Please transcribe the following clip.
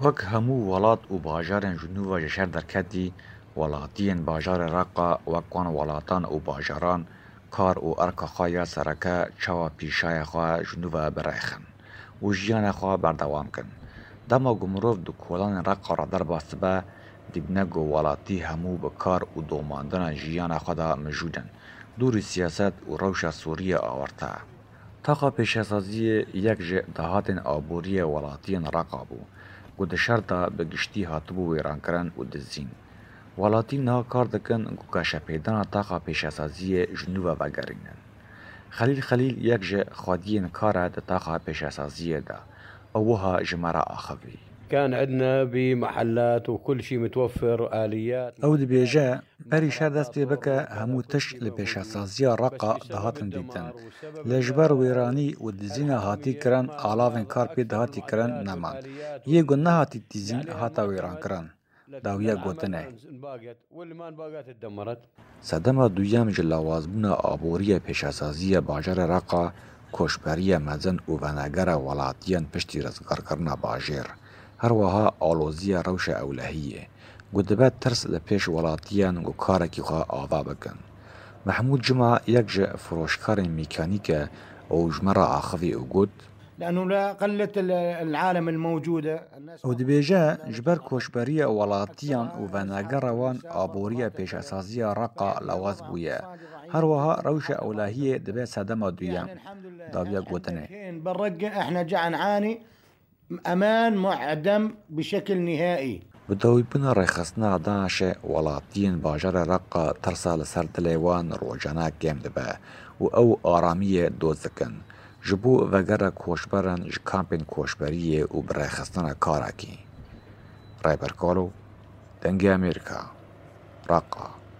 Wek hemû welat û bajarên ji nû ve ji şer derketî, welatiyên bajarê Reqa wek wan welatan û bajaran kar û erka xwe ya sereke çawa pîşaya xwe ji nû ve birêxin û jiyana xwe berdewam kin. Dema ku mirov di kolanên Reqa re derbas dibe, dibîne ku welatî hemû bi kar û domandina jiyana xwe de mijûl in, dûrî siyaset û rewşa Sûriyê awarte. Taxa pêşesaziyê yek ji dahatên aboriyê welatiyên Reqa bû ku di şer de bi giştî hatibû wêrankirin û dizîn. Welatî niha kar dikin ku geşepêdana taxa pêşesaziyê ji nû ve vegerînin. Xelîl Xelîl yek ji xwediyên kar e di taxa pêşesaziyê de û wiha ji me re axivî. كان عندنا بمحلات وكل شيء متوفر آليات Ew dibêje, Berî şer dest pê bike hemû tişt li pêşesaziya Reqa dihatin dîtin. Lê ji ber wêranî û dizîna hatî kirin alavên kar pê dihatî kirin neman. Yê ku nehatî dizîn hate wêrankirin. Dawiya gotinê. Sedema duyem ji lawazbûna aboriya pêşesaziya bajarê Reqa, koçberiya mezin û venegera welatiyan piştî rizgarkirina bajêr. Her wiha aloziya rewşa ewlehiyê ku dibe tirs li pêş welatiyan ku karekî xwe ava bikin. Mehmûd Cuma yek ji firoşkarên mîkanîk e û ji me re axivî û got, Ew dibêje, ji ber koçberiya welatiyan û venegera wan aboriya pêşesaziya Reqa lawaz bûye. Her wiha rewşa ewlehiyê dibe sedema duyem. Dawiya gotinê. Bi dawîbûna rêxistina DAIŞ'ê welatiyên bajarê Reqa tirsa li ser dilê wan rojane kêm dibe û ew aramiyê doz dikin ji bo vegera koçberan ji kampên koçberiyê û bi rêxistina karekî. Rêber Kalo, Dengê Amerîka, Reqa.